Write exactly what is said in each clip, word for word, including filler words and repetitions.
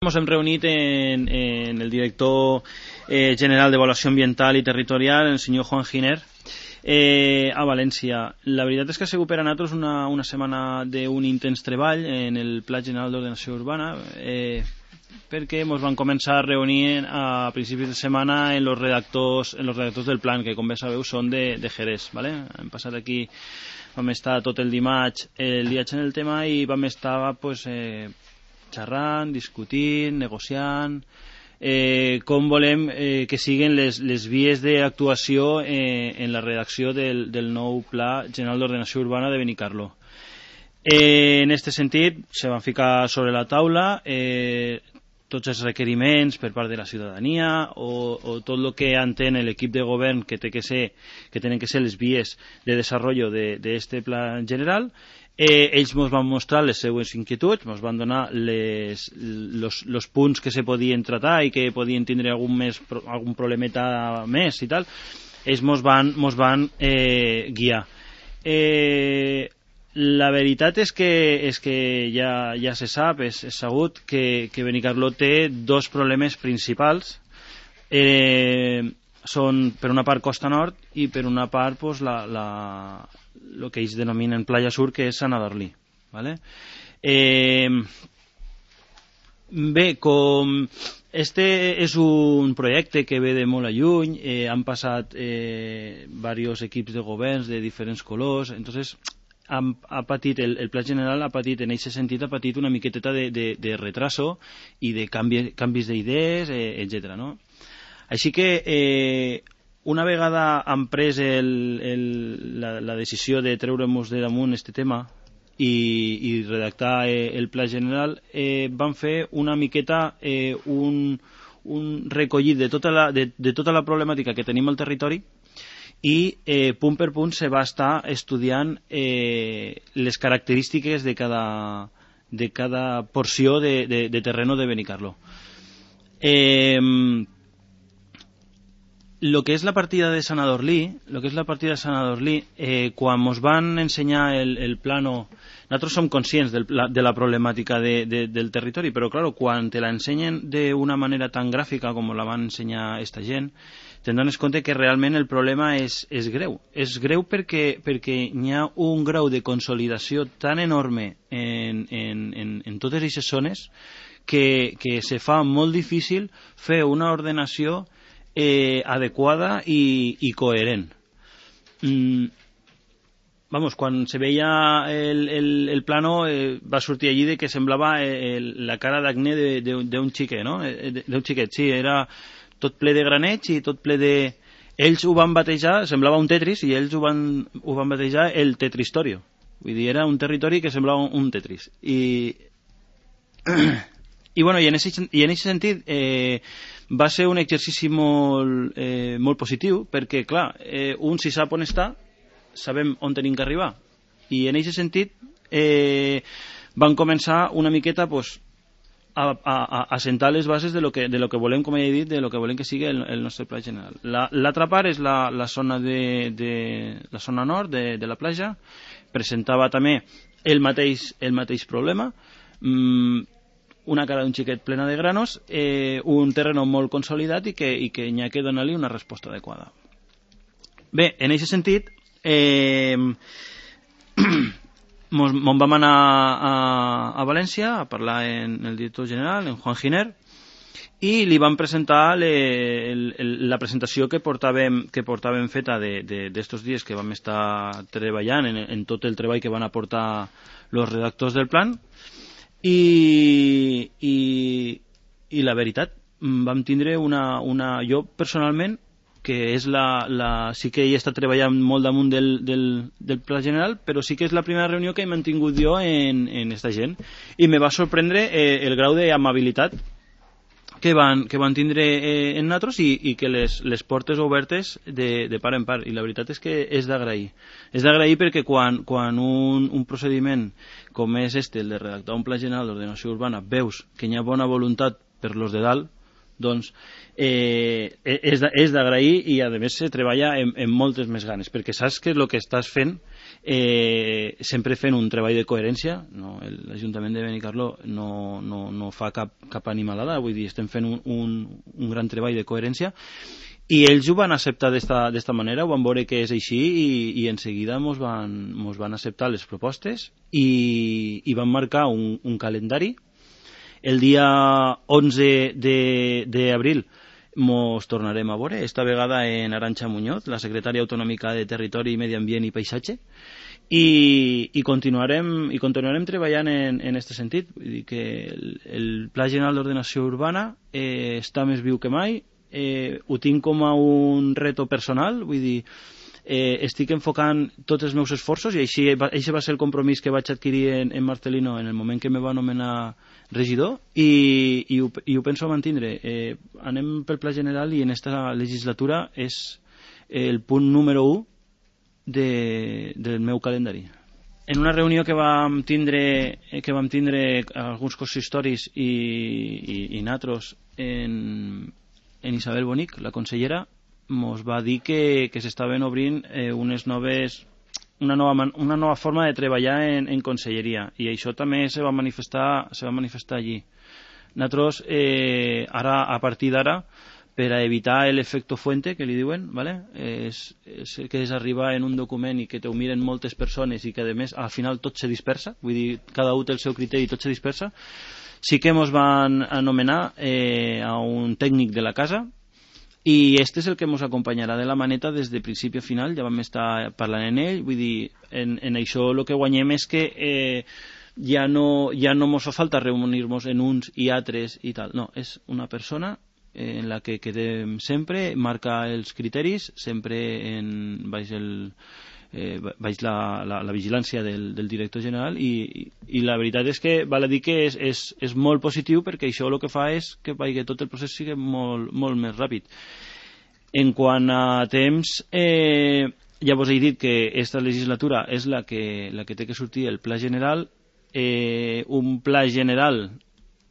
Ens hem reunit en, en el director eh, general d'Avaluació Ambiental i Territorial, el senyor Juan Giner, eh, a València. La veritat és que ha sigut per a nosaltres una, una setmana d'un intens treball en el Pla General d'Ordenació Urbana, eh, perquè ens van començar a reunir a principis de setmana en els redactors, en los redactors del plan, que com bé sabeu són de, de Jerez. ¿Vale? Hem passat aquí, vam estar tot el dimarts el viatge en el tema i vam estar pues, eh, xerrant, discutint, negociant, eh, com volem eh, que siguin les, les vies d'actuació eh, en la redacció del, del nou Pla General d'Ordenació Urbana de Benicarló. Eh, en aquest sentit, se van ficar sobre la taula eh, tots els requeriments per part de la ciutadania o, o tot el que entén l'equip de govern que, té que, ser, que tenen que ser les vies de desenvolupament d'aquest de pla general. Eh, ells ens van mostrar les seues inquietuds, ens van donar les, los, los punts que se podien tratar i que podien tindre algun, més, algun problemeta més i tal. Ells ens van, mos van eh, guiar. Eh, la veritat és que, és que ja, ja se sap, és, és sabut que, que Benicarló té dos problemes principals. Eh, són per una part Costa Nord i per una part pues, la, la, el que ells denominen Playa Sur, que és Sant Adorlí. ¿Vale? Eh, bé, com este és un projecte que ve de molt a lluny, eh, han passat eh, diversos equips de governs de diferents colors, entonces han, ha patit, el, el Pla General ha patit, en aquest sentit ha patit una miqueteta de, de, de retraso i de canvi, canvis d'idees, eh, etcètera. No? Així que eh, una vegada han pres el, el, la, la decisió de treure-nos de damunt este tema i, i redactar eh, el Pla General, eh, van fer una miqueta eh, un, un recollit de tota, la, de, de tota la problemàtica que tenim al territori i eh, punt per punt se va estar estudiant eh, les característiques de cada, de cada porció de, de, de terreno de Benicarló. Eh, lo que és la partida de Sant Adorlí, lo que és la partida de Sant Adorlí, eh, quan ens van ensenyar el, el plano, nosaltres som conscients del, de la problemàtica de, de, del territori, però claro, quan te la ensenyen d'una manera tan gràfica com la van ensenyar esta gent, te'n dones compte que realment el problema és, és greu. És greu perquè, perquè hi ha un grau de consolidació tan enorme en, en, en, en totes aquestes zones que, que se fa molt difícil fer una ordenació Eh, adequada i, i coherent. Mm, vamos, quan se veia el, el, el plano eh, va sortir allí de que semblava eh, la cara d'acné d'un xiquet, no? D'un xiquet, sí, era tot ple de graneig i tot ple de... Ells ho van batejar, semblava un Tetris, i ells ho van, ho van batejar el Tetristorio. Vull dir, era un territori que semblava un Tetris. I, i bueno, i en aquest sentit... Eh, va ser un exercici molt, eh, molt positiu perquè, clar, eh, un si sap on està, sabem on tenim que arribar. I en aquest sentit eh, van començar una miqueta pues, a, a, a sentar les bases de lo, que, de lo que volem, com he dit, de lo que volem que sigui el, el nostre pla general. L'altra la, part és la, la, zona de, de, la zona nord de, de la platja. Presentava també el mateix, el mateix problema. Mm, una cara d'un xiquet plena de granos, eh, un terreno molt consolidat i que, i que n'hi ha que donar-li una resposta adequada. Bé, en aquest sentit, eh, mos, mos vam anar a, a València a parlar en el director general, en Juan Giner, i li vam presentar le, el, el, la presentació que portàvem, que portàvem feta d'estos dies que vam estar treballant en, en tot el treball que van aportar els redactors del plan. I, i, i la veritat, vam tindre una, una jo personalment, que és la, la, sí que he estat treballant molt damunt del, del, del pla general, però sí que és la primera reunió que he mantingut jo en, en esta gent, i me va sorprendre eh, el grau d'amabilitat que van, que van tindre eh, en nosaltres i, i que les, les portes obertes de, de part en part, i la veritat és que és d'agrair. És d'agrair perquè quan, quan un, un procediment com és este, el de redactar un pla general d'ordenació urbana, veus que hi ha bona voluntat per los de dalt, doncs eh, és d'agrair i a més se treballa en, en moltes més ganes, perquè saps que el que estàs fent eh, sempre fent un treball de coherència, no? L'Ajuntament de Benicarló no, no, no fa cap, cap animalada, vull dir, estem fent un, un, un gran treball de coherència i ells ho van acceptar d'esta manera, ho van veure que és així i, i en seguida mos van, mos van acceptar les propostes i, i van marcar un, un calendari. El dia onze d'abril mos tornarem a veure, esta vegada en Arantxa Muñoz, la secretària autonòmica de Territori, Medi Ambient i Paisatge, i, i, continuarem, i continuarem treballant en, en este sentit. Vull dir que el, el Pla General d'Ordenació Urbana eh, està més viu que mai, eh, ho tinc com a un reto personal, vull dir, eh, estic enfocant tots els meus esforços i així va, així va ser el compromís que vaig adquirir en, en Marcelino en el moment que me va anomenar regidor i, i, ho, i ho penso mantindre. Eh, anem pel Pla General i en esta legislatura és el punt número u de, del meu calendari. En una reunió que vam tindre, que vam tindre alguns consistoris i, i, i natros en, en Isabel Bonic, la consellera, mos va dir que, que s'estaven obrint eh, unes noves, una, nova, una nova forma de treballar en, en conselleria i això també se va manifestar, se va manifestar allí. Nosaltres, eh, ara, a partir d'ara, per a evitar l'efecte fuente, que li diuen, ¿vale? és, és que és arribar en un document i que t'ho miren moltes persones i que, a més, al final tot se dispersa, vull dir, cada un té el seu criteri i tot se dispersa. Sí que ens van anomenar eh, a un tècnic de la casa i este és el que ens acompanyarà de la maneta des de principi a final, ja vam estar parlant en ell, vull dir, en, en això el que guanyem és que eh, ja no, ja no ens fa falta reunir-nos en uns i altres i tal, no, és una persona en la que quedem sempre, marca els criteris, sempre en baix, el, eh, baix la, la, la vigilància del, del director general i, i la veritat és que val a dir que és, és, és molt positiu perquè això el que fa és que, que tot el procés sigui molt, molt més ràpid. En quant a temps, eh, ja vos he dit que aquesta legislatura és la que, la que té que sortir el pla general. Eh, un pla general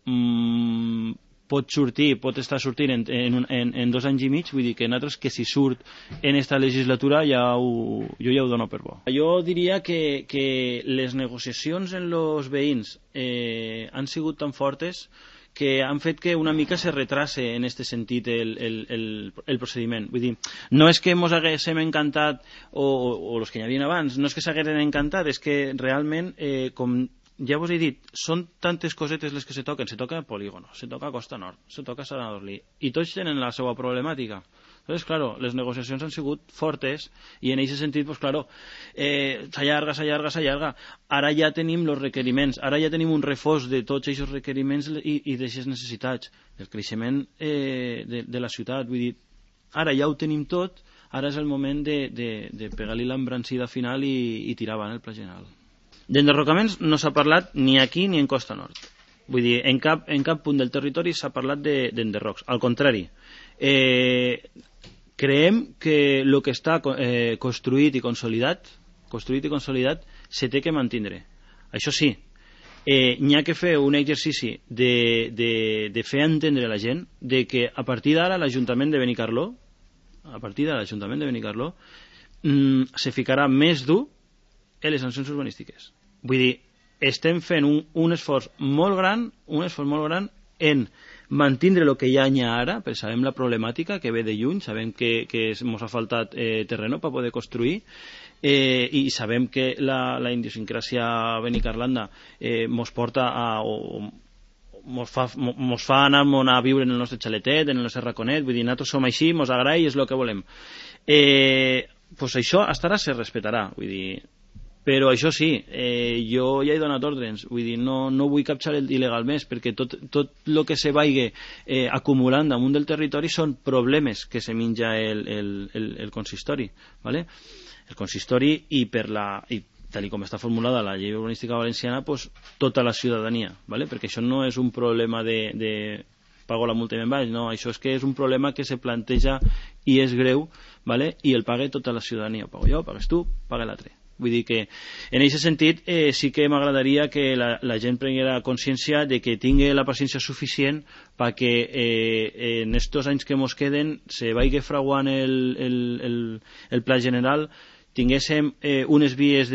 mmm, pot sortir, pot estar sortint en, en, en, en dos anys i mig, vull dir que nosaltres que si surt en esta legislatura ja ho, jo ja ho dono per bo. Jo diria que, que les negociacions en els veïns eh, han sigut tan fortes que han fet que una mica se retrase en aquest sentit el, el, el, el procediment. Vull dir, no és que ens haguéssim encantat, o, o, o els que hi havia abans, no és que s'haguessin encantat, és que realment, eh, com ja vos he dit, són tantes cosetes les que se toquen. Se toca Polígono, se toca Costa Nord, se toca Sant Adorlí, i tots tenen la seva problemàtica. Entonces, claro, les negociacions han sigut fortes i en aquest sentit, pues claro, eh, s'allarga, s'allarga, s'allarga. Ara ja tenim els requeriments, ara ja tenim un reforç de tots aquests requeriments i, i d'aquestes necessitats. El creixement eh, de, de la ciutat, vull dir, ara ja ho tenim tot, ara és el moment de, de, de pegar-li l'embrancida final i, i tirar avant el pla general. D'enderrocaments no s'ha parlat ni aquí ni en Costa Nord. Vull dir, en cap, en cap punt del territori s'ha parlat d'enderrocs. Al contrari, eh, creiem que el que està eh, construït i consolidat, construït i consolidat, se té que mantindre. Això sí, eh, n'hi ha que fer un exercici de, de, de fer entendre a la gent de que a partir d'ara l'Ajuntament de Benicarló, a partir de l'Ajuntament de Benicarló, mm, se ficarà més dur en les sancions urbanístiques. Vull dir, estem fent un, un esforç molt gran, un esforç molt gran en mantindre el que ja hi ha ara, perquè sabem la problemàtica que ve de lluny, sabem que, que ens ha faltat eh, terreno per poder construir, eh, i sabem que la, la idiosincràsia benicarlanda eh, mos porta a... O, mos fa, mos fa anar a viure en el nostre xaletet, en el nostre raconet, vull dir, nosaltres som així, mos agrada i és el que volem. Eh, pues això hasta ara se respetarà, vull dir, però això sí, eh, jo ja he donat ordres, vull dir, no, no vull capçar il·legal més, perquè tot, tot el que se vagi eh, acumulant damunt del territori són problemes que se menja el, el, el, el consistori, ¿vale? El consistori i per la... I, tal com està formulada la llei urbanística valenciana, pues, tota la ciutadania, ¿vale? Perquè això no és un problema de, de pago la multa i me'n vaig, no, això és que és un problema que se planteja i és greu, ¿vale? I el paga tota la ciutadania, pago jo, pagues tu, paga l'altre. Vull dir que, en aquest sentit, eh, sí que m'agradaria que la, la gent prenguera consciència de que tingui la paciència suficient perquè eh, en estos anys que mos queden se vagi fraguant el, el, el, el pla general, tinguéssim eh, unes vies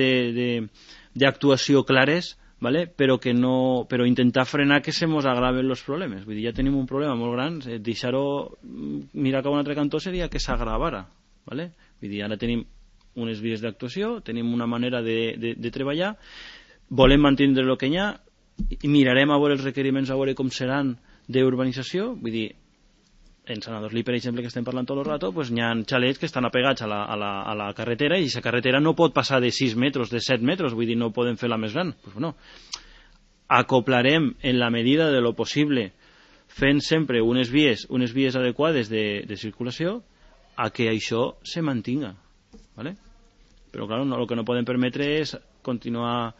d'actuació clares, ¿vale? Però que no, però intentar frenar que se mos agraven els problemes. Vull dir, ja tenim un problema molt gran, eh, deixar-ho mirar cap a un altre cantó seria que s'agravara, ¿vale? Vull dir, ara tenim unes vies d'actuació, tenim una manera de, de, de treballar, volem mantenir el que hi ha, i mirarem a veure els requeriments, a veure com seran d'urbanització. Vull dir, en Sant Adorlí, per exemple, que estem parlant tot el rato, pues, hi ha xalets que estan apegats a la, a, la, a la carretera, i aquesta carretera no pot passar de sis metres, de set metres, vull dir, no poden fer la més gran. Pues, bueno, acoplarem en la medida de lo possible, fent sempre unes vies, unes vies adequades de, de circulació, a que això se mantinga, ¿vale? Però clar, no, el que no podem permetre és continuar,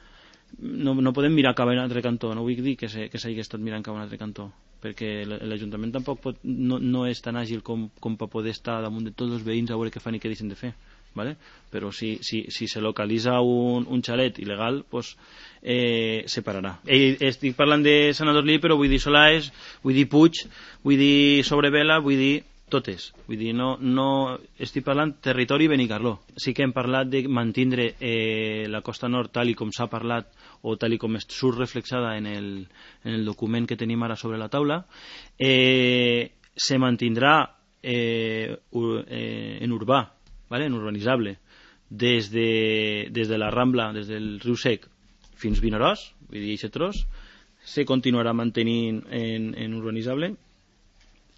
no, no podem mirar cap a un altre cantó, no vull dir que s'hagi estat mirant cap a un altre cantó, perquè l'Ajuntament tampoc pot, no, no és tan àgil com, com per poder estar damunt de tots els veïns a veure què fan i què deixen de fer, ¿vale? Però si, si, si se localitza un, un xalet il·legal, pues, eh, se pararà. Eh, estic parlant de Sant Adorlí, però vull dir Solaes, vull dir Puig, vull dir Sobrevela, vull dir totes. Vull dir, no, no estic parlant territori Benicarló. Sí que hem parlat de mantindre eh, la costa nord tal i com s'ha parlat o tal i com surt reflexada en el, en el document que tenim ara sobre la taula. Eh, se mantindrà eh, eh, en urbà, ¿vale? En urbanitzable, des de, des de la Rambla, des del riu Sec fins Vinaròs, vull dir, aquest tros, se continuarà mantenint en, en urbanitzable,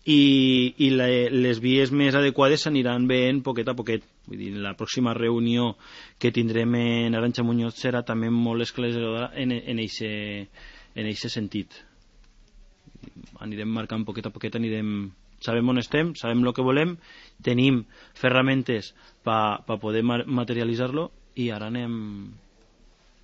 i, i la, les vies més adequades s'aniran veient poquet a poquet. Vull dir, la pròxima reunió que tindrem en Arantxa Muñoz serà també molt esclarecedora en, en eixe, en eixe sentit. Anirem marcant poquet a poquet, anirem, sabem on estem, sabem el que volem, tenim ferramentes per pa poder materialitzar-lo, i ara anem